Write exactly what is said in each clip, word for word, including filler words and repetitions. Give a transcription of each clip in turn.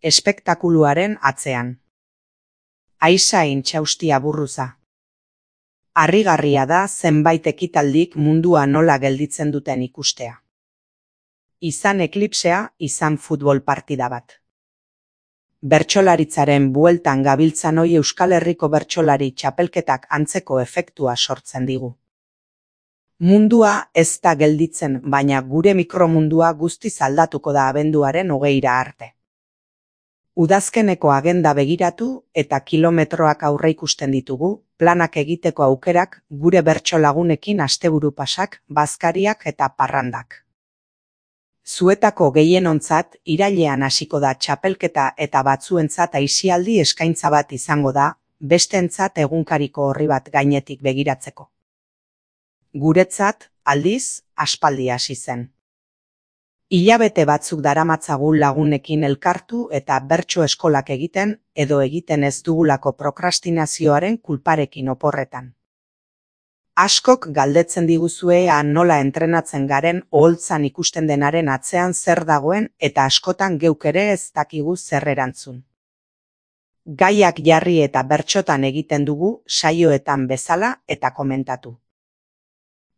espektakuluaren atzean. Aisain txaustia burruza. Harrigarria da zenbait ekitaldik mundua nola gelditzen duten ikustea. Izan eklipsea, izan futbol partida bat. Bertsolaritzaren bueltan gabiltzan hoi Euskal Herriko bertsolari txapelketak antzeko efektua sortzen digu. Mundua ez da gelditzen, baina gure mikromundua guztiz aldatuko da abenduaren hogeira arte. Udazkeneko agenda begiratu eta kilometroak aurreikusten ditugu, planak egiteko aukerak, gure bertsolagunekin asteburu pasak, bazkariak eta parrandak. Zuetako gehienontzat irailean hasiko da txapelketa eta batzuentzat aisialdi eskaintza bat izango da, besteentzat egunkariko orri bat gainetik begiratzeko. Guretzat, aldiz, aspaldi hasi zen. Hilabete batzuk daramatzagu lagunekin elkartu eta bertso eskolak egiten edo egiten ez dugulako prokrastinazioaren kulparekin oporretan. Askok galdetzen diguzue ea nola entrenatzen garen oholtzan ikusten denaren atzean zer dagoen eta askotan geuk ere ez dakigu zer erantzun. Gaiak jarri eta bertsotan egiten dugu saioetan bezala eta komentatu.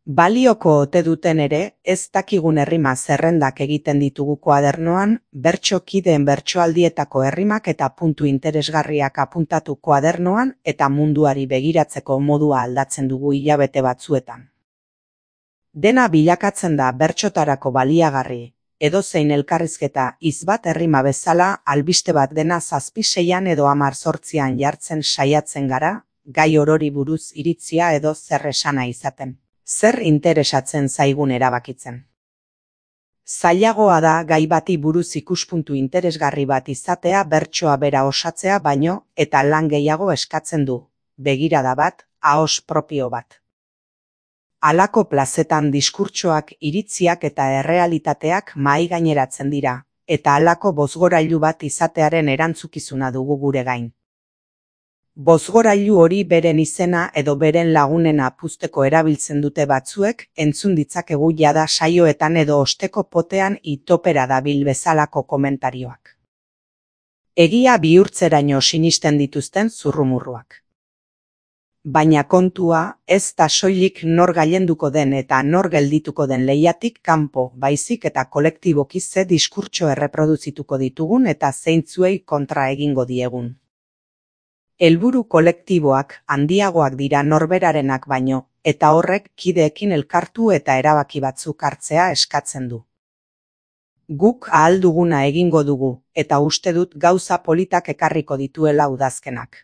Balioko ote duten ere, ez dakigun errima zerrendak egiten ditugu koadernoan, bertso kideen bertsoaldietako errimak eta puntu interesgarriak apuntatu koadernoan eta munduari begiratzeko modua aldatzen dugu hilabete batzuetan. Dena bilakatzen da bertsotarako baliagarri, edozein elkarrizketa hitz bat errima bezala albiste bat dena zazpi seian edo hamar zortzian jartzen saiatzen gara, gai orori buruz iritzia edo zer esana izaten. Zer interesatzen zaigun erabakitzen. Zailagoa da gai bati buruz ikuspuntu interesgarri bat izatea bertsoa bera osatzea baino eta lan gehiago eskatzen du, begirada bat, ahos propio bat. Halako plazetan diskurtsoak, iritziak eta errealitateak mahai gaineratzen dira, eta halako bozgorailu bat izatearen erantzukizuna dugu gure gain. Bozgorailu hori beren izena edo beren lagunena puzteko erabiltzen dute batzuek, entzun ditzakegu jada saioetan edo osteko potean itopera dabil bezalako komentarioak. Egia bihurtzeraino sinisten dituzten zurrumurruak. Baina kontua ez da soilik nor gailenduko den eta nor geldituko den lehiatik kanpo, baizik eta kolektiboki ze diskurtso erreproduzituko ditugun eta zeintzuei kontra egingo diegun. Helburu kolektiboak handiagoak dira norberarenak baino, eta horrek kideekin elkartu eta erabaki batzuk hartzea eskatzen du. Guk ahal duguna egingo dugu, eta uste dut gauza politak ekarriko dituela udazkenak.